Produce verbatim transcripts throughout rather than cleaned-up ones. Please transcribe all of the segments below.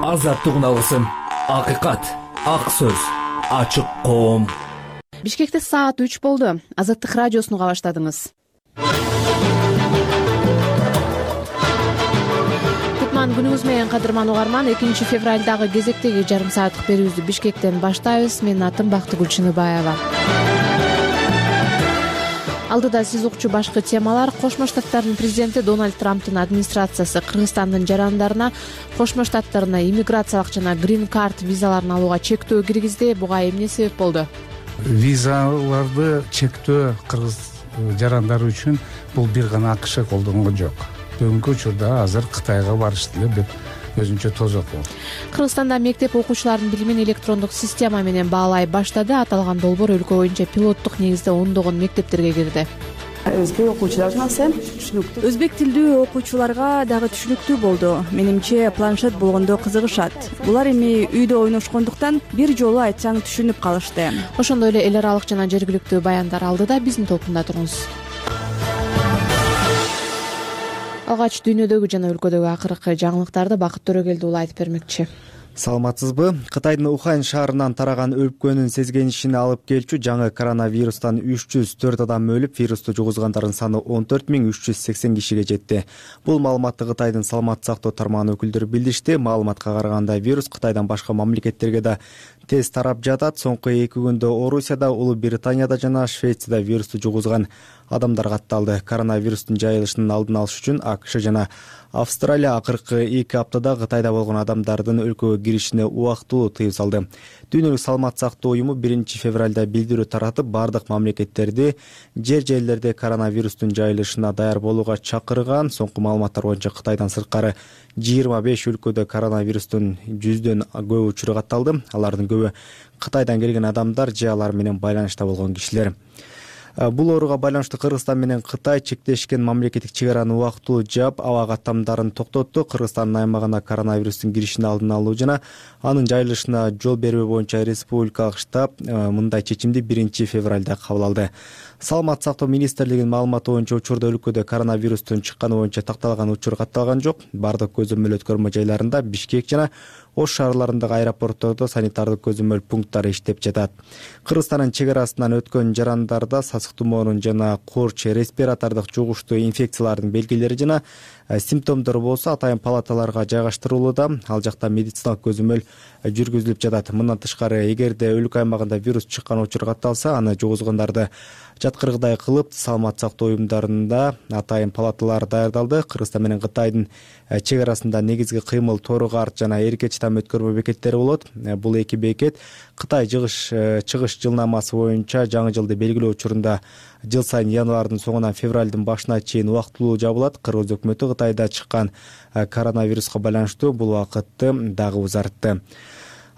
азаттык алсын, акыйкат, ак сөз, ачык коом. Бишкекте саат үч болду. Азаттык радиосуну уга баштадыңыз. Кутман күнүңүз менен, кадырман угарман. экинчи февралдагы кезектеги жарым сааттык берүүбүздү Бишкектен баштайбыз. Менин атым Бактыгүл Чыныбаева. Алдыда сиз укчу башкы темалар: Кошмо Штаттардын президенти Дональд Трамптын администрациясы Кыргызстандын жарандарына Кошмо Штаттарына иммиграциялык жана грин-карт визаларын алууга чектөө киргизди. Буга эмне себеп болду? Визаларды чектөө кыргыз жарандары үчүн бул бир гана АКШ колдонгон жок. Бүгүнкү учурда азыр Кытайга барыш деле бир өзүнчө тозок болду. Кыргызстанда мектеп окуучуларынын билимин электрондук система менен баалай баштады. Аталган долбоор өлкө боюнча пилоттук негизде ондогон мектептерге кирди. Өзбек окуучуларга түшүнүктүү. Өзбек тилдүү окуучуларга дагы түшүнүктүү болду. Менимче планшет болгондо кызыгышат. Булар эми үйдө ойношкондуктан бир жолу айтсаң түшүнүп калышты. Ошондой эле эл аралык жана жергиликтүү баяндар алдыда. Биздин топунда туруңуз. Алгач дүйнөдөгү жана өлкөдөгү акыркы жаңылыктарды Бакыт Төрөгелди уулу айтып бермекчи. Саламатсызбы? Кытайдын Ухань шаарынан тараган өлкөнүн сезгенишине алып келчү жаңы коронавирустан үч жүз төрт адам өлүп, вирусту жугузгандардын саны он төрт миң үч жүз сексен кишиге жетти. Бул маалыматты Кытайдын саламаттык сактоо тармагынын өкүлдөрү билдиришти. Маалыматка караганда вирус Кытайдан башка мамлекеттерге да тез тарап жатат. Соңку эки күндө Орусияда, Улуу Британияда жана Швецияда вирусту жугузган адамдар катталды. Коронавирустун жайылышынын алдын алыш үчүн АКШ жана Австралия акыркы эки аптада Кытайда болгон адамдардын өлкөгө киришине убактылуу тыюу салды. Дүйнөлүк саламаттык сактоо уюму биринчи февралда билдирүү таратып, бардык мамлекеттерди жер жерлерде коронавирустун жайылышына даяр болууга чакырган. Соңку маалыматтар боюнча Кытайдан сырткары жыйырма беш өлкөдө коронавирустун жүздөн көп учуру катталды. Алардын көбү Кытайдан келген адамдар же алар менен байланышта болгон кишилер. Бул ооруга байланыштуу Кыргызстан менен Кытай чектешкен мамлекеттик чек араны убактылуу жаап, аба каттамдарын токтотту. Кыргызстандын аймагына коронавирустун киришин алдын алуу жана анын жайылышына жол бербөө боюнча республикалык штаб мындай чечимди биринчи февралда кабыл алды. Саламаттык сактоо министрлигинин маалыматы боюнча учурда өлкөдө коронавирустун чыкканы боюнча такталган учур катталган жок. Бардык көзөмөл өткөрмө жайларында Бишкек жана Ош шаарларындагы аэропорттордо санитардык көзөмөл пункттары иштеп жатат. Кыргызстандын чек арасынан өткөн жарандарда сасык тумоонун жана корч респиратордук жугуштуу инфекциялардын белгилери жана симптомдору болсо атайын палаталарга жайгаштырылууда. Ал жакта медициналык көзөмөл жүргүзүлүп жатат. Мындан тышкары, эгерде өлкө аймагында вирус чыккан учур катталса, аны жугузгандарды жаткыргыдай кылып, саламаттык сактоо уюмдарында атайын палаталар даярдалды. Кыргызстан менен Кытайдын чек арасында негизги кыймыл Тору Карт жана Эркеч там өткөрмө бекеттери болот. Бул эки бекет Кытай чыгыш чыгыш жылнамасы боюнча жаңы жылды белгилөө учурунда жыл сайын январдын соңунан февралдын башына чейин убактылуу жабылат. Кыргыз өкмөтү Кытайда чыккан коронавируска байланыштуу бул убакытты дагы узартты.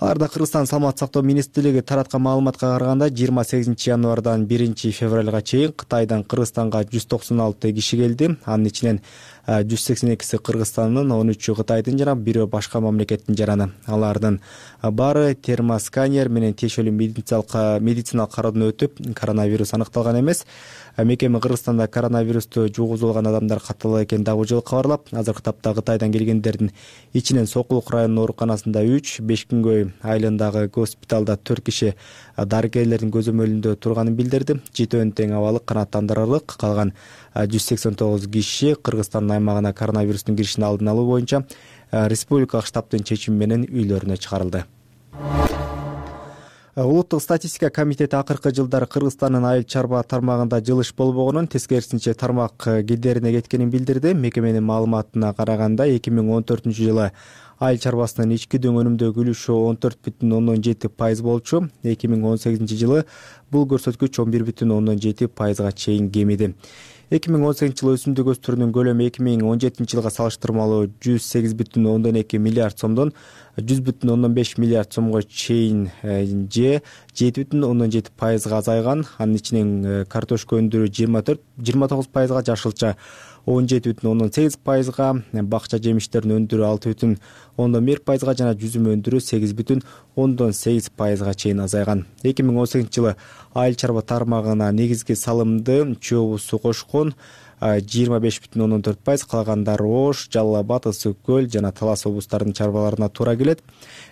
Аларда Кыргызстан саламаттык сактоо министрлиги тараткан маалыматка караганда жыйырма сегизинчи январдан биринчи февралга чейин Кытайдан Кыргызстанга жүз токсон алты киши келди. Анын ичинен жүз сексен экиси Кыргызстандын, он үчү Кытайдын жана бирөө башка мамлекеттин жараны. Алардын баары термосканер менен тиешелүү медициналык медициналык кароодон өтүп, коронавирус аныкталган эмес. Мекеме Кыргызстанда коронавирусту жугузулган адамдар каттала экени дагы жылы кабарлап, азыркы тапта Кытайдан келгендердин ичинен Сокулук районунун ооруканасында үч, Бешкүнгөй айылындагы госпиталда төрт киши дарыгерлердин көзөмөлүндө турганын билдирди. Жетөөнүн тең абалы канааттандырарлык. Калган жүз сексен тогуз киши Кыргызстандын аймагына коронавирустун киришин алдын алуу боюнча республикалык штабтын чечими менен үйлөрүнө чыгарылды. Улуттук статистика комитети акыркы жылдары Кыргызстандын айыл чарба тармагында жылыш болбогонун, тескерисинче тармак кедерине кеткенин билдирди. Мекеменин маалыматына караганда эки миң он төртүнчү жылы айыл чарбасынын ички дөң өнүмдөгү үлүшү он төрт бүтүн ондон жети пайыз болчу. эки миң он сегизинчи жылы бул көрсөткүч он бир бүтүн ондон жети пайызга чейин кемиди. эки миң он сегизинчи жылы өсүмдүк өстүрүүнүн көлөмү эки миң он жетинчи жылга салыштырмалуу жүз сегиз бүтүн ондон эки миллиард сомдон жүз бүтүн ондон беш миллиард сомго чейин же жети бүтүн ондон жети пайызга азайган. Анын ичинен картошка өндүрүү жыйырма төрт жыйырма тогуз пайызга, жашылча он жети бүтүн ондон сегиз пайызга, бакча жемиштерин өндүрүү алты бүтүн ондон бир пайызга жана жүзүм өндүрүү сегиз бүтүн ондон сегиз пайызга чейин азайган. эки миң он сегизинчи жылы айыл чарба тармагына негизги салымды чөбү суу кошкон жыйырма беш бүтүн ондон төрт пайыз, калгандары Ош, Жалал Абад, Ысык көл жана Талас облустарынын чарбаларына туура келет.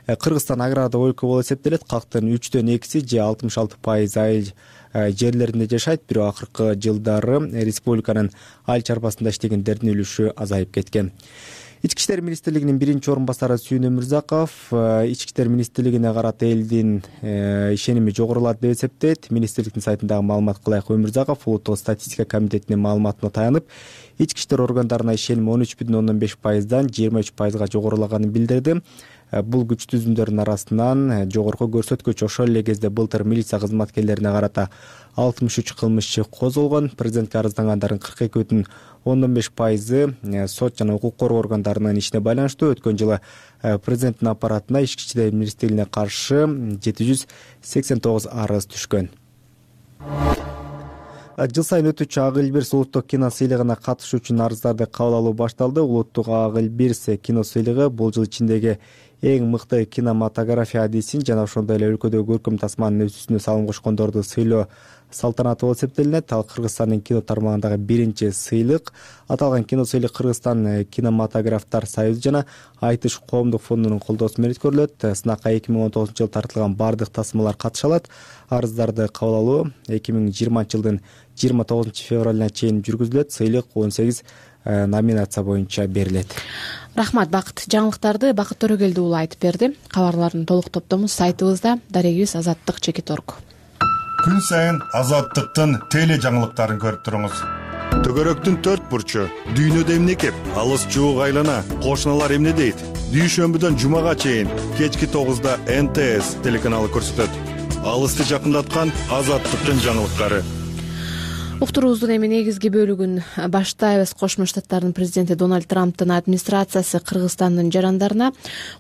Кыргызстан агрардык өлкө болуп эсептелет. Калктын үчтөн экиси же алтымыш алты пайыз айыл жерлеринде жашайт. Бирок акыркы жылдары республиканын айыл чарбасында иштегендердин үлүшү азайып кеткен. Ички иштер министрлигинин биринчи орун басары Сүйүн Өмүрзаков ички иштер министрлигине карата элдин ишеними жогорулады деп эсептейт. Министрликтин сайтындагы маалыматка ылайык Өмүрзаков улуттук статистика комитетинин маалыматына таянып, ички иштер органдарына ишеним он үч бүтүн ондон беш пайыздан жыйырма үч пайызга жогорулаганын билдирди. Бул күч түзүмдөрдүн арасынан жогорку көрсөткүч. Ошол эле кезде былтыр милиция кызматкерлерине карата алтымыш үч кылмыш иши козголгон. Президентке арыздангандардын кырк эки бүтүн ондон беш пайызы сот жана укук коргоо органдарынын ишине байланыштуу. Өткөн жылы президенттин аппаратына ички иштер министрлигине каршы жети жүз сексен тогуз арыз түшкөн. Жыл сайын өтүүчү Ак Элбирс улуттук кино сыйлыгына катышуу үчүн арыздарды кабыл алуу башталды. Улуттук Ак Элбирс кино сыйлыгы бул жыл ичиндеги эң мыкты кинематография адисин жана ошондой эле өлкөдөгү көркөм тасманын өсүүсүнө салым кошкондорду сыйлоо салтанаты болуп эсептелинет. Ал Кыргызстандын кино тармагындагы биринчи сыйлык. Аталган кино сыйлык Кыргызстан кинематографтар союзу жана Айтыш коомдук фондунун колдоосу менен өткөрүлөт. Сынакка эки миң он тогузунчу жылы тартылган бардык тасмалар катыша алат. Арыздарды кабыл алуу эки миң жыйырманчы жылдын жыйырма тогузунчу февралына чейин жүргүзүлөт. Сыйлык он сегиз номинация боюнча берилет. Рахмат, Бакыт. Жаңылыктарды Бакыт Төрөгелди уулу айтып берди. Кабарлардын толук топтому сайтыбызда, дарегибиз азаттык чекит точка орг. Күн сайын Азаттыктын теле жаңылыктарын көрүп туруңуз. Төгөрөктүн төрт бурчу, дүйнөдө эмне кеп, алыс жуук айлана, кошуналар эмне дейт? Дүйшөмбүдөн жумага чейин кечки тогузда эн тэ эс телеканалы көрсөтөт. Алысты жакындаткан Азаттыктын жаңылыктары. Уктуруубуздун эми негизги бөлүгүн баштайбыз. Кошмо Штаттардын президенти Дональд Трамптын администрациясы Кыргызстандын жарандарына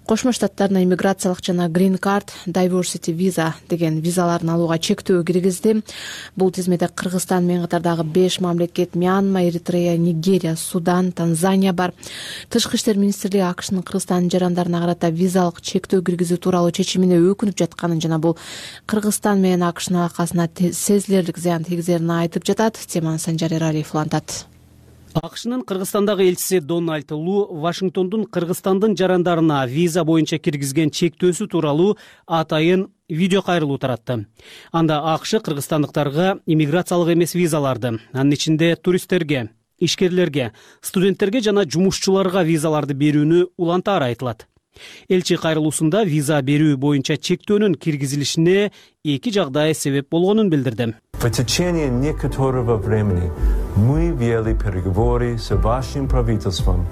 Кошмо Штаттарына иммиграциялык жана Green Card, Diversity Visa деген визаларын алууга чектөө киргизди. Бул тизмеде Кыргызстан менен катардагы беш мамлекет — Мьянма, Эритрея, Нигерия, Судан, Танзания бар. Тышкы иштер министрлиги АКШнын Кыргызстандын жарандарына карата визалык чектөө киргизүү тууралуу чечимине өкүнүп жатканын жана бул Кыргызстан менен АКШнын алакасына сезилерлик зыян тийгизерин айтып жатат. Теманы Санжар Эралиев улантат. АКШнын Кыргызстандагы элчиси Дональд Лу Вашингтондун Кыргызстандын жарандарына виза боюнча киргизген чектөөсү тууралуу атайын видео кайрылуу таратты. Анда АКШ кыргызстандыктарга иммиграциялык эмес визаларды, анын ичинде туристтерге, ишкерлерге, студенттерге жана жумушчуларга визаларды берүүнү улантаары айтылат. Элчи кайрылуусунда виза берүү боюнча чектөөнүн киргизилишине эки жагдай себеп болгонун билдирди. В течение некоторого времени мы вели переговоры с вашим правительством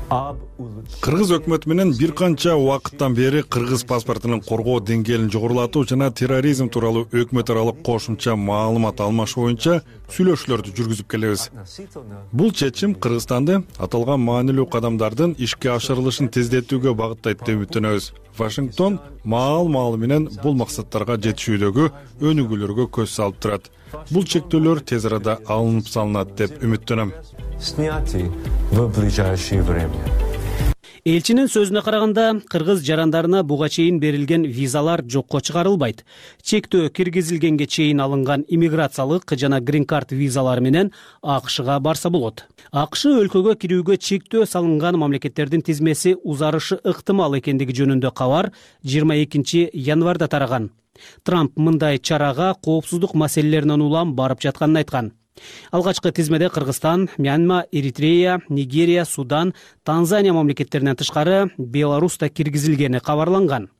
об улучшении. Кыргыз өкмөтү менен бир канча убакыттан бери кыргыз паспортунун коргоо деңгээлин жогорулатуу жана терроризм тууралуу өкмөт аралык кошумча маалымат алмашуу боюнча сүйлөшүүлөрдү жүргүзүп келебиз. Бул чечим Кыргызстанды аталган маанилүү кадамдардын ишке ашырылышын тездетүүгө багыттайт деп үмүттөнөбүз. Вашингтон маал-маалы менен бул максаттарга жетишүүдөгү өнүгүүлөргө көз салып турат. Бул чектөөлөр тез арада алынып салынат деп үмүттөнөм. Сняты в ближайшее время. Элчинин сөзүнө караганда, кыргыз жарандарына буга чейин берилген визалар жокко чыгарылбайт. Чектөө киргизилгенге чейин алынган иммиграциялык жана Green Card визалары менен АКШга барса болот. АКШ өлкөгө кирүүгө чектөө салынган мамлекеттердин тизмеси узарышы ыктымал экендиги жөнүндө кабар жыйырма экинчи январда тараган. Трамп мындай чарага коопсуздук маселелеринен улам барып жатканын айткан. Алгачкы тизмеде Кыргызстан, Мьянма, Эритрея, Нигерия, Судан, Танзания мамлекеттеринен тышкары Беларусь да киргизилгени кабарланган.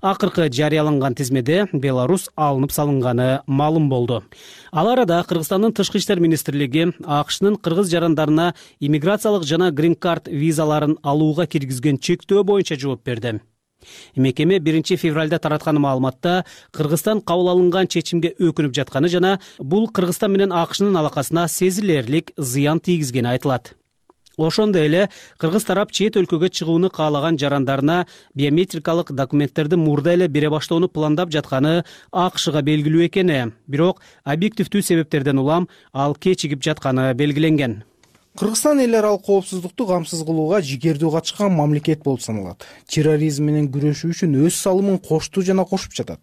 Акыркы жарыяланган тизмеде Беларусь алынып салынганы маалым болду. Ал арада Кыргызстандын тышкы иштер министрлиги АКШнын кыргыз жарандарына иммиграциялык жана Green Card визаларын алууга киргизген чектөө боюнча жооп берди. Мекеме биринчи февралда тараткан маалыматта Кыргызстан кабыл алынган чечимге өкүнүп жатканы жана бул Кыргызстан менен АКШнын алакасына сезилерлик зыян тийгизгени айтылат. Ошондой эле кыргыз тарап чет өлкөгө чыгууну каалаган жарандарына биометрикалык документтерди мурда эле бере баштоону пландап жатканы АКШга белгилүү экени, бирок объективдүү себептерден улам ал кечигип жатканы белгиленген. Кыргызстан эл аралык коопсуздукту камсыз кылууга жигердүү катышкан мамлекет болуп саналат. Терроризм менен күрөшүү үчүн өз салымын кошту жана кошуп жатат.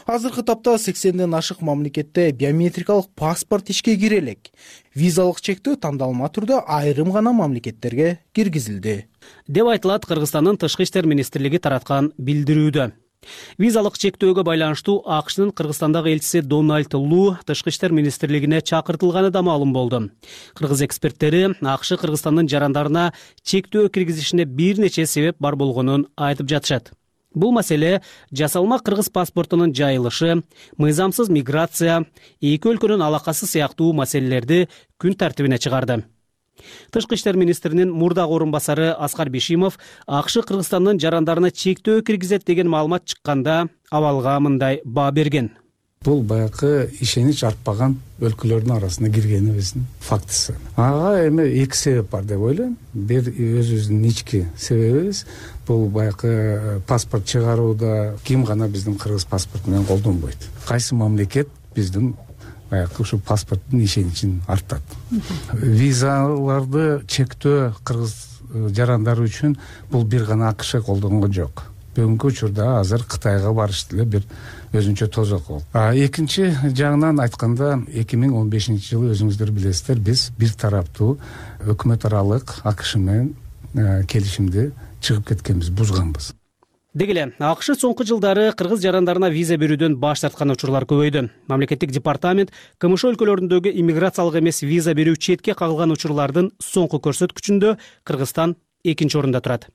Азыркы тапта сексенден ашык мамлекетте биометрикалык паспорт ишке кире элек. Визалык чектөө тандалма түрдө айрым гана мамлекеттерге киргизилди, деп айтылат Кыргызстандын Тышкы иштер министрлиги тараткан билдирүүдө. Визалык чектөөгө байланыштуу АКШнын Кыргызстандагы элчиси Дональд Лу Тышкы иштер министрлигине чакыртылганы да маалым болду. Кыргыз эксперттери АКШ Кыргызстандын жарандарына чектөө киргизишине бир нече себеп бар болгонун айтып жатышат. Бул маселе жасалма кыргыз паспортунун жайылышы, мыйзамсыз миграция, эки өлкөнүн алакасы сыяктуу маселелерди күн тартибине чыгарды. Тышкы иштер министринин мурдагы орун басары Аскар Бишимов АКШ Кыргызстандын жарандарына чектөө киргизет деген маалымат чыкканда абалга мындай баа берген. Бул баягы ишенич артпаган өлкөлөрдүн арасына киргенибиздин фактысы. Ага эми эки себеп бар деп ойлойм. Бир өзүбүздүн ички себебибиз бул баягы паспорт чыгарууда ким гана биздин кыргыз паспорту менен колдонбойт. Кайсы мамлекет биздин баягы ушу паспорттун ишеничин артат. Визаларды чектөө кыргыз жарандары үчүн бул бир гана АКШ колдонгон жок. Бүгүнкү учурда азыр Кытайга барыш деле бир өзүнчө тозок болду. А экинчи жагынан айтканда эки миң он бешинчи жылы өзүңүздөр билесиздер, биз бир тараптуу өкмөт аралык АКШ менен келишимди чыгып кеткенбиз, бузганбыз. Деги эле АКШ соңку жылдары кыргыз жарандарына виза берүүдөн баш тарткан учурлар көбөйдү. Мамлекеттик департамент КМШ өлкөлөрүндөгү иммиграциялык эмес виза берүү четке кагылган учурлардын соңку көрсөткүчүндө Кыргызстан экинчи орунда турат.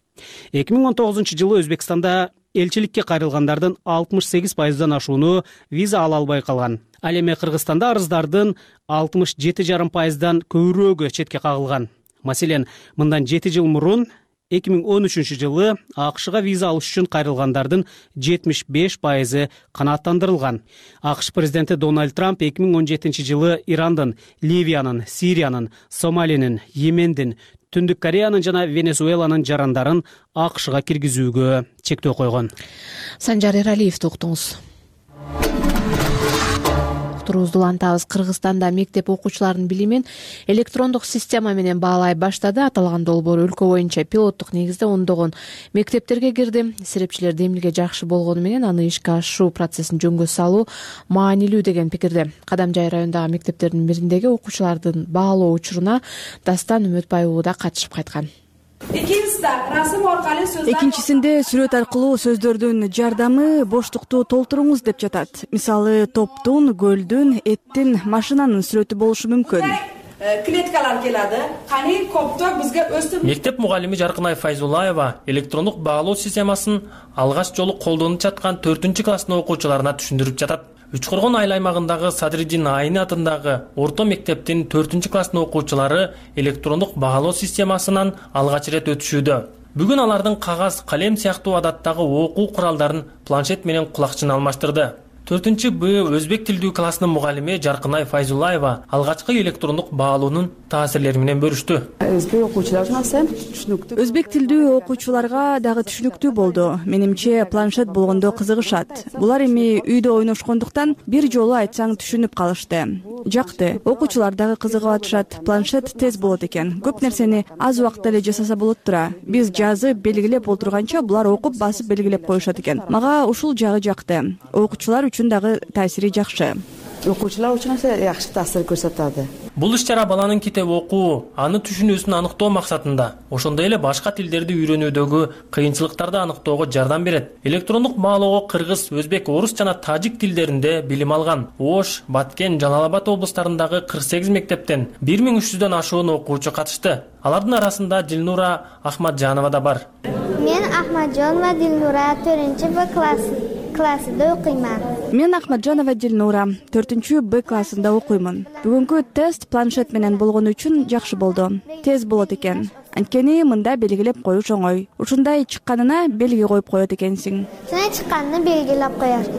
эки миң он тогузунчу жылы Өзбекстанда элчиликке кайрылгандардын алтымыш сегиз пайыздан ашууну виза ала албай калган. Ал эми Кыргызстанда арыздардын алтымыш жети жарым пайыздан көбүрөөгү четке кагылган. Маселен, мындан жети жыл мурун эки миң он үчүнчү жылы АКШга виза алыш үчүн кайрылгандардын жетимиш беш пайызы канааттандырылган. АКШ президенти Дональд Трамп эки миң он жетинчи жылы Ирандын, Ливиянын, Сириянын, Сомалинин, Йемендин, Түндүк Кореянын жана Венесуэланын жарандарын АКШга киргизүүгө чектөө койгон. Санжар Эралиевди уктуңуз. Турубузду улантабыз. Кыргызстанда мектеп окуучуларынын билимин электрондук система менен баалай баштады. Аталган долбоор өлкө боюнча пилоттук негизде ондогон мектептерге кирди. Серепчилерди эмнеге жакшы болгону менен аны ишке ашыруу процессин жөнгө салуу маанилүү деген пикирде. Кадамжай районундагы мектептердин бириндеги окуучулардын баалоо учуруна Дастан Үмөтбай уулу да катышып кайткан. Экинчисинде сүрөт аркылуу сөздөрдүн жардамы боштукту толтуруңуз деп жатат. Мисалы, топтун, көлдүн, эттин, машинанын сүрөтү болушу мүмкүн. Клеткалар келadi. Кани копто бизге өстүп. Мектеп мугалими Жаркынай Файзулаева электрондук баалоо системасын алгач жолу колдонуп жаткан төртүнчү класстын окуучуларына түшүндүрүп жатат. Үчкоргон айыл аймагындагы Садриддин Айны атындагы орто мектептин төртүнчү класстын окуучулары электрондук баалоо системасынан алгач ирет өтүшүүдө. Бүгүн алардын кагаз, калем сыяктуу адаттагы окуу куралдарын планшет менен кулакчын алмаштырды. төртүнчү Б өзбек тилдүү класснын мугалими Жаркынай Файзулаева алгачкы электрондук баалоонун таасирлери менен бөлүштү. Өзбек тилдүү окуучуларга дагы түшүнүктүү болду. Менимче планшет болгондо кызыгышат. Булар эми үйдө ойношкондуктан бир жолу айтсаң түшүнүп калышты. Жакты. Окуучулар дагы кызыгып атышат. Планшет тез болот экен. Көп нерсени аз убакытта эле жасаса болот тура. Биз жазып белгилеп олтурганча булар окуп басып белгилеп коюшат экен. Мага ушул жагы жакты. Окуучулар үчүн дагы таасири жакшы. Окуучулар үчүн эсе жакшы таасир көрсөтөт. Бул иш-чара баланын китеп окуу, аны түшүнүүсүн аныктоо максатында, ошондой эле башка тилдерди үйрөнүүдөгү кыйынчылыктарды аныктоого жардам берет. Электрондук баалоого кыргыз, өзбек, орус жана тажик тилдеринде билим алган Ош, Баткен, Жалал Абад облустарындагы кырк сегиз мектептен бир миң үч жүздөн ашуун окуучу катышты. Алардын арасында Дилнура Ахматжанова да бар. Мен Ахматжанова Дилнура төртүнчү Б класс классында окуйман. Мен Ахматжанова Дилнура төртүнчү Б классында окуймун. Бүгүнкү тест планшет менен болгону үчүн жакшы болду. Тез болот экен. Анткени мында белгилеп коюш оңой. Ушундай чыкканына белги коюп коет экенсиң. Сен чыкканын белгилеп коясың.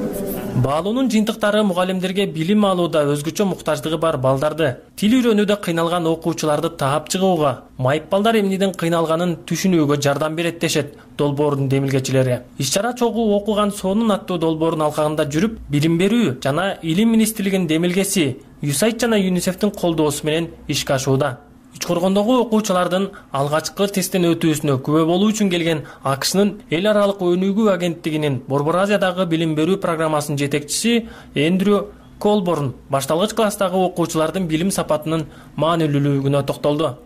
Баалоонун жыйынтыктары мугалимдерге билим алууда өзгөчө муктаждыгы бар балдарды, тил үйрөнүүдө кыйналган окуучуларды таап чыгууга, майып балдар эмнеден кыйналганын түшүнүүгө жардам берет дешет долбоордун демилгечилери. Иш-чара чогуу окуган сонун аттуу долбоордун алкагында жүрүп, билим берүү жана илим министрлигинин демилгеси ЮСАИД жана ЮНИСЕФтин колдоосу менен ишке ашууда. Учкоргондогу окуучулардын алгачкы тесттен өтүүсүнө күбө болуу үчүн келген АКШнын эл аралык өнүгүү агенттигинин Борбор Азиядагы билим берүү программасынын жетекчиси Эндрю Колборн башталгыч класстагы окуучулардын билим сапатынын маанилүүлүгүнө токтолду.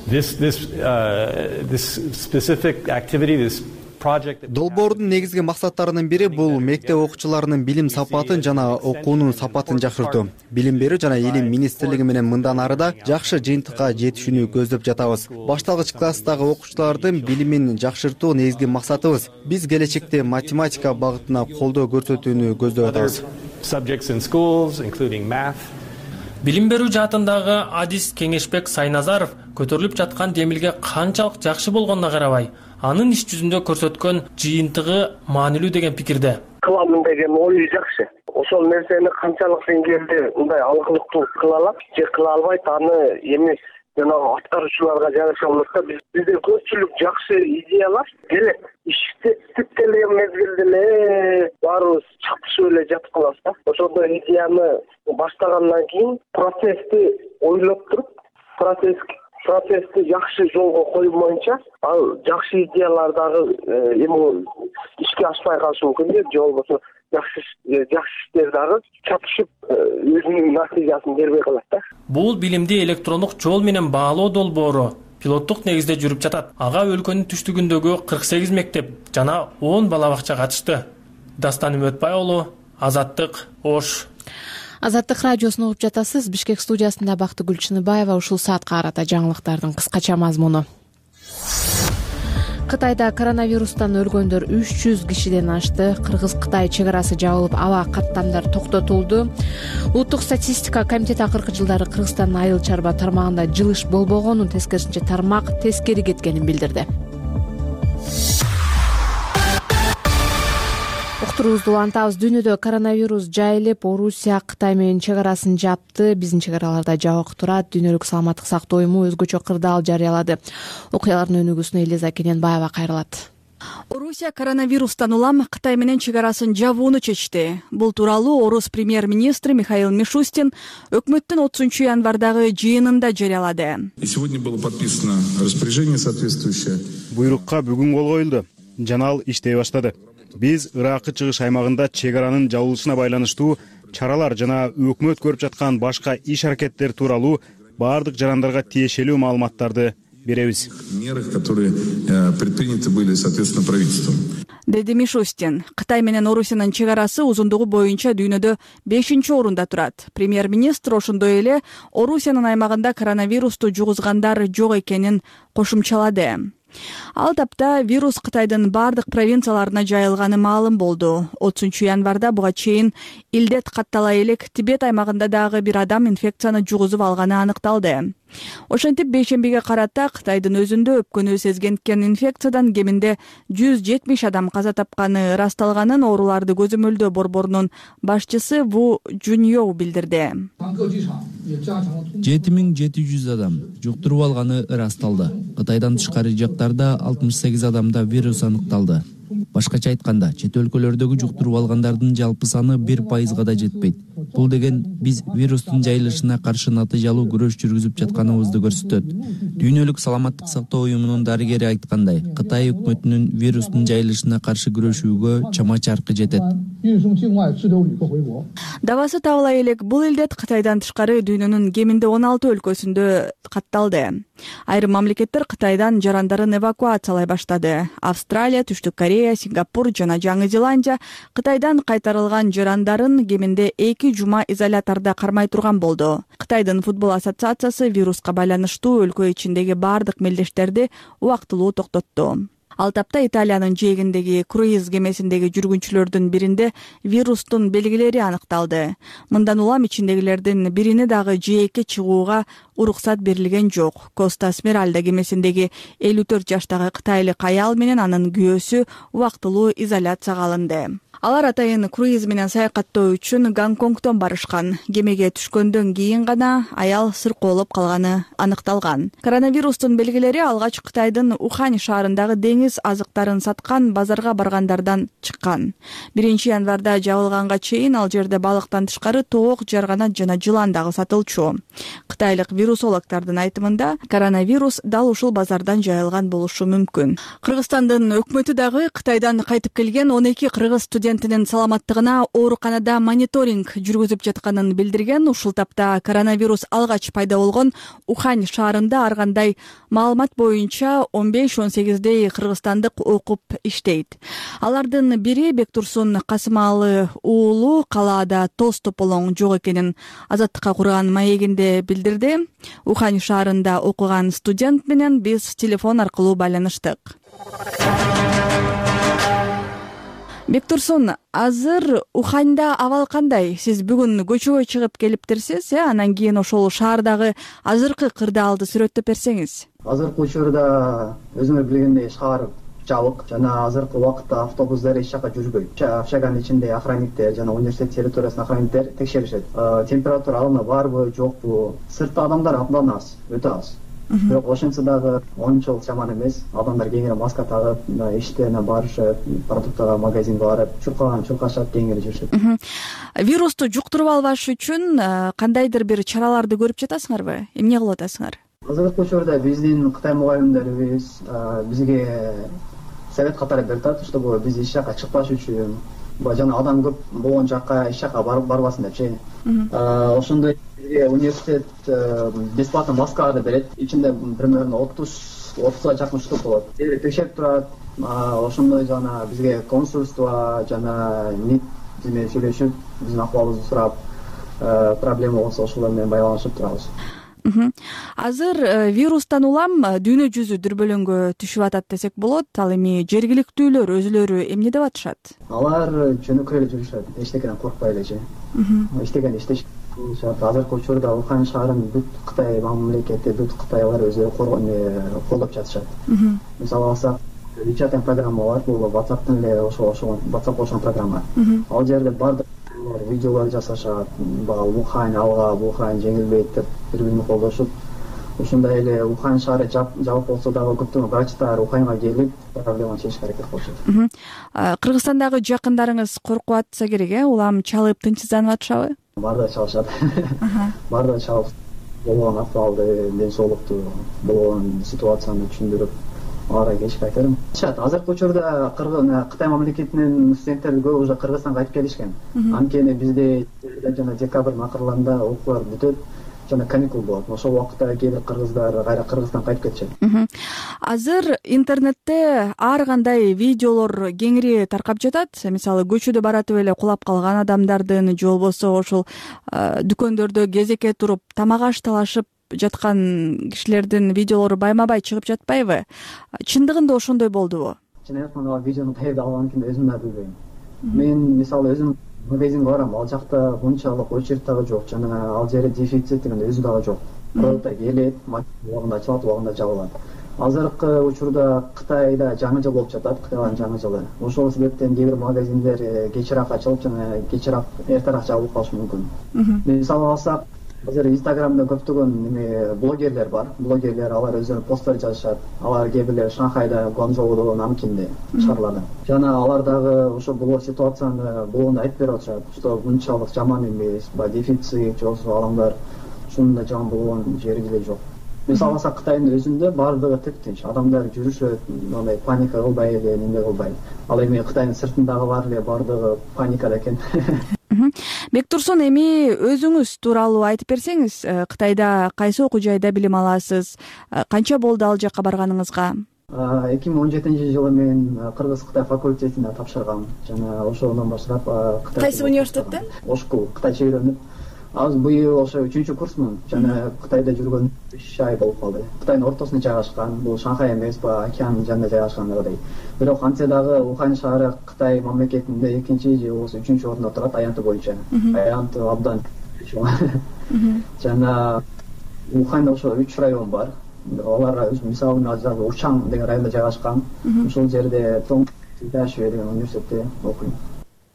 This this uh, this specific activity, this долбоордун негизги максаттарынын бири бул мектеп окуучуларынын билим сапатын жана окуунун сапатын жакшыртуу. Билим берүү жана илим министрлиги менен мындан ары да жакшы жыйынтыкка жетишүүнү көздөп жатабыз. Башталгыч класстагы окуучулардын билимин жакшыртуу негизги максатыбыз. Биз келечекте математика багытына колдоо көрсөтүүнү көздөп атабыз. Subjects in schools, including math. Билим берүү жаатындагы Адис Кеңешбек Сайназаров көтөрүлүп жаткан демилге канчалык жакшы болгонуна карабай, анын иш жүзүндө көрсөткөн жыйынтыгы маанилүү деген пикирде. Кыламын деген ою жакшы. Ошол нерсени канчалык деңгээлде мындай алгылыктуу кыла алат же кыла албайт, аны эми жанагы аткаруучуларга жараша болот да. Бизде көпчүлүк жакшы идеялар келет. Ишти иштеп келген мезгилде эле баарыбыз чатышып эле жатып калабыз да. Ошондо идеяны баштагандан кийин процессти ойлоп туруп, процесс процессти жакшы жолго коймоюнча, ал жакшы идеялар дагы эми ишке ашпай калышы мүмкүн да, же болбосо жакшы жакшы иштер дагы чатышып өзүнүн натыйжасын бербей калат да. Бул билимди электрондук жол менен баалоо долбоору пилоттук негизде жүрүп жатат. Ага өлкөнүн түштүгүндөгү кырк сегиз мектеп жана он бала бакча катышты. Дастан Үмөтбай уулу, Азаттык, Ош. Азаттык радиосун угуп жатасыз. Бишкек студиясында Бактыгүл Чыныбаева. Ушул саатка карата жаңылыктардын кыскача мазмуну. Кытайда коронавирустан өлгөндөр үч жүз кишиден ашты. Кыргыз-Кытай чек арасы жабылып, аба каттамдар токтотулду. Улуттук статистика комитети акыркы жылдары Кыргызстандын айыл чарба тармагында жылыш болбогонун, тескерисинче тармак тескери кеткенин билдирди. Уктуруубузду улантабыз. Дүйнөдө коронавирус жайылып, Орусия Кытай менен чек арасын жапты. Биздин чек араларда жабык турат. Дүйнөлүк саламаттык сактоо уюму өзгөчө кырдаал жарыялады. Окуялардын өнүгүүсүнө Элиза Кененбаева кайрылат. Орусия коронавирустан улам Кытай менен чек арасын жабууну чечти. Бул тууралуу Орус премьер-министри Михаил Мишустин өкмөттүн отузунчу январдагы жыйынында жарыялады. Сегодня было подписано распоряжение соответствующее. Буйрукка бүгүн кол коюлду жана ал иштей баштады. Биз Иракы чыгыш аймагында чек аранын жабылышына байланыштуу чаралар жана өкмөт көрүп жаткан башка иш аракеттер тууралуу баардык жарандарга тиешелүү маалыматтарды беребиз. Мерах, которые предприняты были соответственно правительством. Деди Мишустин. Кытай менен Орусиянын чек арасы узундугу боюнча дүйнөдө бешинчи орунда турат. Премьер-министр ошондой эле Орусиянын аймагында коронавирусту жугузгандар жок экенин кошумчалады. Ал тапта вирус Кытайдын бардык провинцияларына жайылганы маалым болду. отузунчу январда буга чейин илдет каттала элек Тибет аймагында дагы бир адам инфекцияны жугузуп алганы аныкталды. Ошентип бейшембиге карата Кытайдын өзүндө өпкөнү сезгенткен инфекциядан кеминде жүз жетимиш адам каза тапканы ырасталганын ооруларды көзөмөлдөө борборунун башчысы Ву Жуньоу билдирди. жети миң жети жүз адам жуктуруп алганы ырасталды. Кытайдан тышкары жактарда алтымыш сегиз адамда вирус аныкталды. Башкача айтканда, чет өлкөлөрдөгү жуктуруп алгандардын жалпы саны бир пайызга да жетпейт. Бул деген биз вирустун жайылышына каршы натыйжалуу күрөш жүргүзүп жатканыбызды көрсөтөт. Дүйнөлүк саламаттык сактоо уюмунун дарыгери айткандай, Кытай өкмөтүнүн вирустун жайылышына каршы күрөшүүгө чама-чаркы жетет. Дабасы табыла элек бул илдет Кытайдан тышкары дүйнөнүн кеминде он алты өлкөсүндө катталды. Айрым мамлекеттер Кытайдан жарандарын эвакуациялай баштады. Австралия, Түштүк Корея, Сингапур жана Жаңы Зеландия Кытайдан кайтарылган жарандарын кеминде эки жума изолятордо кармай турган болду. Кытайдын футбол ассоциациясы вируска байланыштуу өлкө ичиндеги бардык мелдештерди убактылуу токтотту. Ал тапта Италиянын жээгиндеги круиз кемесиндеги жүргүнчүлөрдүн биринде вирустун белгилери аныкталды. Мындан улам ичиндегилердин бирине дагы жээкке чыгууга уруксат берилген жок. Коста Смиральда кемесиндеги элүү төрт жаштагы кытайлык аял менен анын күйөөсү убактылуу изоляцияга алынды. Алар атайын круиз менен саякаттоо үчүн Гонконгдон барышкан. Кемеге түшкөндөн кийин гана аял сыркоолоп калганы аныкталган. Коронавирустун белгилери алгач Кытайдын Ухань шаарындагы деңиз кыргыз азыктарын саткан базарга баргандардан чыккан. биринчи январда жабылганга чейин ал жерде балыктан тышкары тоок, жарганат жана жылан дагы сатылчу. Кытайлык вирусологдордун айтымында коронавирус дал ушул базардан жайылган болушу мүмкүн. Кыргызстандын өкмөтү дагы Кытайдан кайтып келген он эки кыргыз студентинин саламаттыгына ооруканада мониторинг жүргүзүп жатканын билдирген. Ушул тапта коронавирус алгач пайда болгон Ухань шаарында ар кандай маалымат боюнча он беш он сегиздей кыргызстандык окуп иштейт. Алардын бири Бектурсун Касымалы уулу калаада тоз тополоң жок экенин Азаттыкка курган маегинде билдирди. Ухань шаарында окуган студент менен биз телефон аркылуу байланыштык. Бектурсун, азыр Уханьда абал кандай? Сиз бүгүн көчөгө чыгып келиптирсиз, э? Анан кийин ошол шаардагы азыркы кырдаалды сүрөттөп берсеңиз. Азыркы учурда өзүңөр билгендей шаар жабык жана азыркы убакытта автобустар эч жака жүрбөйт. Общаганын ичинде охранниктер жана университет территориясында охранниктер текшеришет. Температура алына барбы, жокпу? Сыртта адамдар абдан аз, өтө аз. Бирок ошентсе дагы ончолук жаман эмес. Адамдар кеңири маска тагып, иштерине барышып, продуктага магазинге барып, чуркаган чуркашат, кеңири жүрүшөт. Вирусту жуктуруп албаш үчүн кандайдыр бир чараларды көрүп жатасыңарбы? Эмне кылып атасыңар? Азыркы учурда биздин Кытай мугалимдерибиз бизге совет катары берип атат, чтобы биз эч жака чыкпаш үчүн, жана адам көп болгон жакка эч жака барбасын депчи. Ошондой университет бесплатно маскаларды берет. Ичинде примерно отуз отузга жакын штук болот. Текшерип турат. Ошондой жана бизге консульство жана МИД менен сүйлөшүп, биздин акыбалыбызды сурап, проблема болсо ошолор менен байланышып турабыз. Азыр вирустан улам дүйнө жүзү дүрбөлөңгө түшүп атат десек болот. Ал эми жергиликтүүлөр өзүлөрү эмне деп атышат? Алар жөнөкөй эле жүрүшөт, эчтекеден коркпой элечи. Эчтекени иштешет. Азыркы учурда Ухань шаарын бүт Кытай мамлекети, бүт Кытайлар өзү колдоп жатышат. Мисалы алсак, WeChat программа бар, бул WhatsApp'тын эле ошол ошол WhatsApp ошол программа. Ал жерде бардык видеолор жасашат, бул Ухань алга, бул Ухань жеңилбейт деп бири-бирин колдошуп, ошондой эле Ухань шаары жабык болсо дагы көптөгөн врачтар Уханьга келип проблеманы чечишке аракет кылышат. Кыргызстандагы жакындарыңыз коркуп атса керек, э? Улам чалып тынчсызданып атышабы? Баарда чалышат. Баарда чалып болгон акыбалды, ден соолукту, болгон ситуацияны түшүндүрүп, аларга кечип айтарым. Азыркы учурда Кытай мамлекетинин студенттери көбү уже Кыргызстанга кайтып келишкен. Анткени бизде жана декабрдын акырларында окуулар бүтөт жана каникул болот. Ошол убакытта кээ бир кыргыздар кайра Кыргызстанга кайтып кетишет. Азыр интернетте ар кандай видеолор кеңири таркап жатат. Мисалы, көчөдө баратып эле кулап калган адамдардын, же болбосо ошол дүкөндөрдө кезекке туруп тамак аш талашып жаткан кишилердин видеолору байма-бай чыгып жатпайбы? Чындыгында ошондой болдубу? Чын айтканда видеону каерде алганын өзүм да билбейм. Мен мисалы өзүм магазинге барам, ал жакта мынчалык очередь дагы жок, жана ал жерде дефицит деген өзү дагы жок. Продукттар келет, убагында ачылат, убагында жабылат. Азыркы учурда Кытайда жаңы жыл болуп жатат, Кытайлардын жаңы жылы. Ошол себептен кээ бир магазиндер кечирээк ачылып жана кечирээк эртерээк жабылып калышы мүмкүн. Мисалы алсак, азыр Инстаграмда көптөгөн эме блогерлер бар. Блогерлер алар өздөрүнүн посттор жазышат. Алар кээ бирлери Шанхайда, Гуанчжоудо, Намкинде шаарларда. Жана алар дагы ошо бул ситуацияны болгондо айтып берип атышат, что мынчалык жаман эмес, ба дефицит, же болбосо адамдар ушундай жаман болгон жери деле жок. Мисалы алсак, Кытайдын өзүндө баардыгы тип-тинч, адамдар жүрүшөт, мындай паника кылбай эле, эмне кылбай. Ал эми Кытайдын сыртындагы бар эле баардыгы паникада экен. Бектурсун, эми өзүңүз тууралуу айтып берсеңиз, Кытайда кайсы окуу жайда билим аласыз? Канча болду ал жакка барганыңызга? эки миң он жетинчи жылы мен Кыргыз-Кытай факультетине тапшыргам. Жана ошондон баштап Кытай Кайсы университетте? Ошку кытайча үйрөнүп, азыр быйыл ошо үчүнчү курсмун. Жана Кытайда жүргөн үч ай болуп калды. Кытайдын ортосунда жайгашкан, бул Шанхай эмес, ба океандын жанында жайгашкандагыдай. Бирок антсе дагы Ухань шаары Кытай мамлекетинде экинчи же болбосо үчүнчү орунда турат аянты боюнча. Аянты абдан жана Уханьда ошо үч район бар. Алар мисалы азыр Учан деген районда жайгашкан. Ошол жерде Тонг-Дашуэ деген университетте окуйм.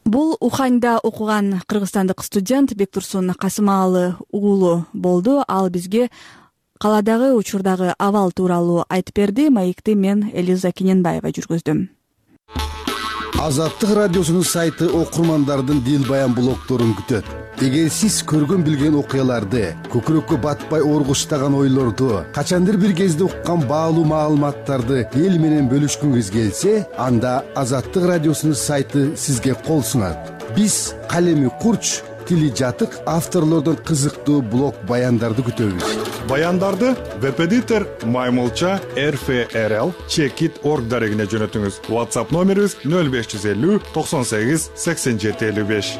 Бул Уханьда окуган кыргызстандык студент Бектурсун Касымалы уулу болду. Ал бизге калаадагы учурдагы абал тууралуу айтып берди. Маекти мен Элиза Кененбаева жүргүздүм. Азаттык радиосунун сайты окурмандардын дил баян блогдорун күтөт. Эгер сиз көргөн билген окуяларды, көкүрөккө батпай оргуштаган ойлорду, качандыр бир кезде уккан баалуу маалыматтарды эл менен бөлүшкүңүз келсе, анда Азаттык радиосунун сайты сизге кол сунат. Биз калеми курч, тили жатык авторлордон кызыктуу блог баяндарды күтөбүз. Баяндарды веб-эдитор маймылча эр эф эр эл чекит точка орг дарегине жөнөтүңүз. WhatsApp номерибиз нөл беш жүз элүү токсон сегиз сексен жети элүү беш.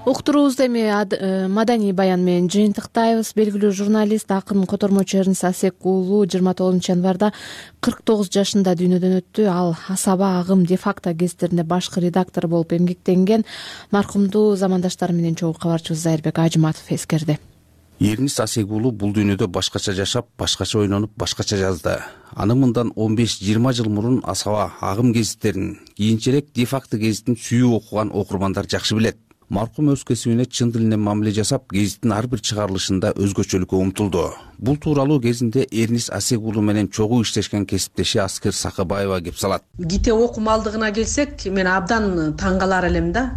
Уктуруубузду эми маданий баян менен жыйынтыктайбыз. Белгилүү журналист, акын, котормочу Эрнис Асек уулу жыйырма тогузунчу январда кырк тогуз жашында дүйнөдөн өттү. Ал Асаба, Агым, Де-факто гезиттеринде башкы редактор болуп эмгектенген. Маркумду замандаштары менен чогуу кабарчыбыз Зайырбек Ажыматов эскерди. Эрнис Асек уулу бул дүйнөдө башкача жашап, башкача ойлонуп, башкача жазды. Аны мындан он беш жыйырма жыл мурун Асаба, Агым гезиттерин, кийинчерээк Де-факто гезитин сүйүп окуган окурмандар жакшы билет. Маркум өз кесибине чын дилинен мамиле жасап, гезиттин ар бир чыгарылышында өзгөчөлүккө умтулду. Бул тууралуу кезинде Эрнис Асек уулу менен чогуу иштешкен кесиптеши Аскер Сакыбаева кеп салат. Китеп окумалдыгына келсек, мен абдан таң калар элем да.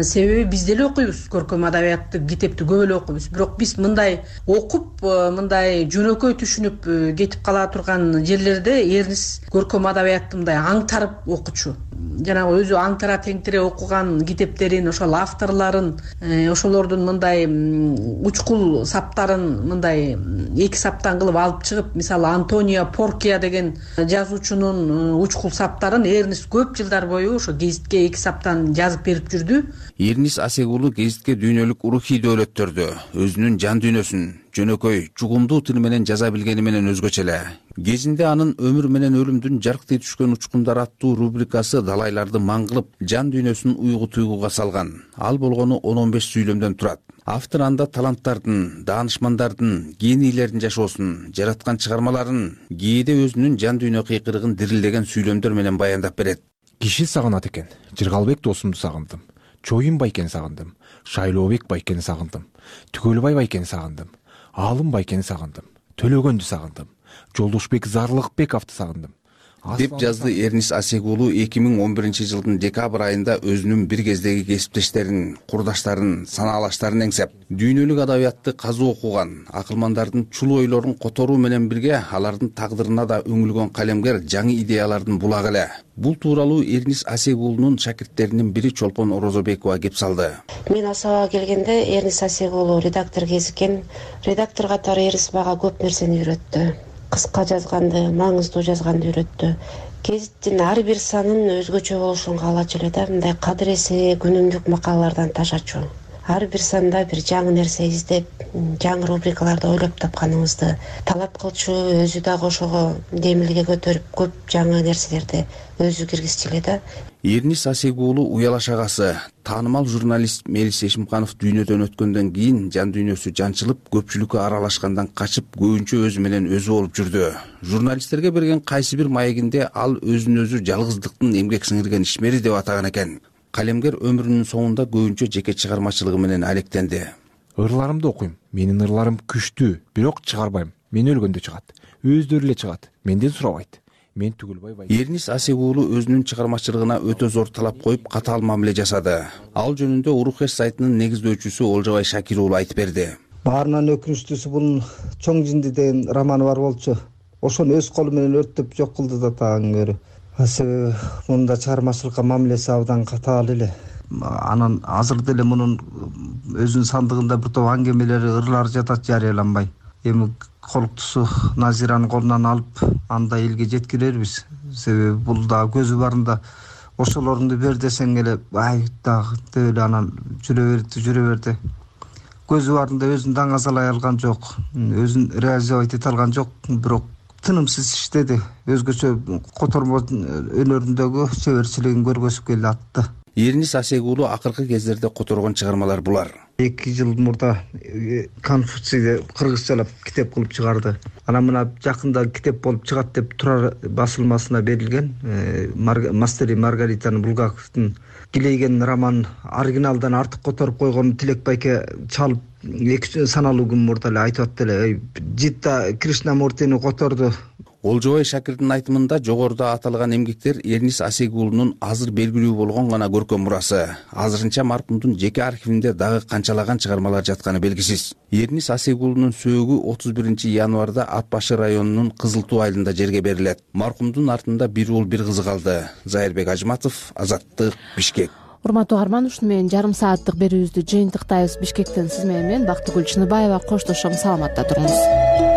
Себеби биз деле окуйбуз, көркөм адабиятты, китепти көп эле окуйбуз. Бирок биз мындай окуп, мындай жөнөкөй түшүнүп кетип кала турган жерлерде Эрнис көркөм адабиятты мындай аңтарып окучу. Жанагы өзү аңтара теңтире окуган китептерин, ошол авторлорун, ошолордун мындай учкул саптарын мындай эки саптан кылып алып чыгып, мисалы Антонио Поркия деген жазуучунун учкул саптарын Эрнис көп жылдар бою ошо гезитке эки саптан жазып берип жүрдү. Эрнис Асек уулу гезитке дүйнөлүк рухий дөөлөттөрдү, өзүнүн жан дүйнөсүн жөнөкөй, чугумдуу тил менен жаза билгени менен өзгөчө эле. Кезинде анын өмүр менен өлүмдүн жарктый түшкөн учкундар аттуу рубрикасы далайларды маң кылып, жан дүйнөсүн уйгу туйгуга салган. Ал болгону он он беш сүйлөмдөн турат. Автор анда таланттардын, даанышмандардын, генийлердин жашоосун, жараткан чыгармаларын, кээде өзүнүн жан дүйнө кыйкырыгын дирилдеген сүйлөмдөр менен баяндап берет. Киши сагынат экен. Жыргалбек досумду сагындым. Чоюн Байкени сагындым. Шайлообек Байкени сагындым. Түгөлбай Байкени сагындым. Алым Байкени сагындым. Төлөгөндү сагындым. Жолдошбек Зарлыкбековду сагындым. Деп жазды Эрнис Асек уулу эки миң он биринчи жылдын декабрь айында өзүнүн бир кездеги кесиптештерин, курдаштарын, санаалаштарын эңсеп, дүйнөлүк адабиятты казуу окуган, акылмандардын чулуу ойлорун которуу менен бирге алардын тагдырына да өңүлгөн калемгер жаңы идеялардын булагы эле. Бул тууралуу Эрнис Асек уулунун шакирттеринин бири Чолпон Орозобекова кеп салды. Мен Асабага келгенде Эрнис Асек уулу редактор кезиккен. Редактор катары Эрнис мага көп нерсени үйрөттү. Кыска жазганды, маңыздуу жазганды үйрөттү. Гезиттин ар бир санын өзгөчө болушун каалачу эле да, мындай кадыресе күнүмдүк макалалардан ташачу. Ар бир санда бир жаңы нерсе издеп, жаңы рубрикаларды ойлоп тапканыбызды талап кылчу, өзү дагы ошого демилге көтөрүп, көп жаңы нерселерди өзү киргизчү эле да. Эрнис Асек уулу уялаш агасы, таанымал журналист Мелис Эшимканов дүйнөдөн өткөндөн кийин жан дүйнөсү жанчылып, көпчүлүккө аралашкандан качып, көбүнчө өзү менен өзү болуп жүрдү. Журналисттерге берген кайсы бир маегинде ал өзүн өзү жалгыздыктын эмгек сиңирген ишмери деп атаган экен. Калемгер өмүрүнүн соңунда көбүнчө жеке чыгармачылыгы менен алектенди. Ырларымды окуйм. Менин ырларым күчтүү, бирок чыгарбайм. Мен өлгөндө чыгат. Өздөрү эле чыгат. Менден сурабайт. Мен Түгөлбай Байкени. Эрнис Асек уулу өзүнүн чыгармачылыгына өтө зор талап коюп, катаал мамиле жасады. Ал жөнүндө Урух-эш сайтынын негиздөөчүсү Олжобай Шакир уулу айтып берди. Баарынан өкүнүчтүүсү бунун Чоң жинди деген романы бар болчу. Ошону өз колу менен өрттөп жок кылды да тагын көрү. Себеби мында чыгармачылыкка мамилеси абдан катаал эле. Анан азыр деле мунун өзүнүн сандыгында бир топ аңгемелери, ырлары жатат, жарыяланбай. Эми колуктусу Назиранын колунан алып, анда элге жеткирербиз. Себеби бул да көзү барында ошолорунду бер десең эле, ай дагы деп эле анан жүрө берди, жүрө берди. Көзү барында өзүн даңазалай алган жок, өзүн реализовать эте алган жок, бирок тынымсыз иштеди. Өзгөчө котормо өнөрүндөгү чеберчилигин көргөзүп келе атты. Эрнис Асек уулу акыркы кездерде которгон чыгармалар булар. эки жыл мурда Конфуцийди кыргызчалап китеп кылып чыгарды. Анан мына жакында китеп болуп чыгат деп Турар басылмасына берилген. Мастери Маргаританы Булгаковдун килейген роман оригиналдан артык которуп койгон Тилек байке чалып эки саналуу күн мурда эле айтып атты эле. Житта Кришнамуртини которду. Олжобай Шакирдин айтымында жогоруда аталган эмгектер Эрнис Асегулунун азыр белгилүү болгон гана көркөм мурасы. Азырынча маркумдун жеке архивинде дагы канчалаган чыгармалар жатканы белгисиз. Эрнис Асегулунун сөөгү отуз биринчи январда Ат башы районунун Кызыл Туу айылында жерге берилет. Маркумдун артында бир уул бир кызы калды. Зайырбек Ажматов, Азаттык, Бишкек. Урматтуу угарман, ушуну менен жарым сааттык берүүбүздү жыйынтыктайбыз. Бишкектен сиз менен мен Бактыгүл Чыныбаева коштошом. Саламатта туруңуз.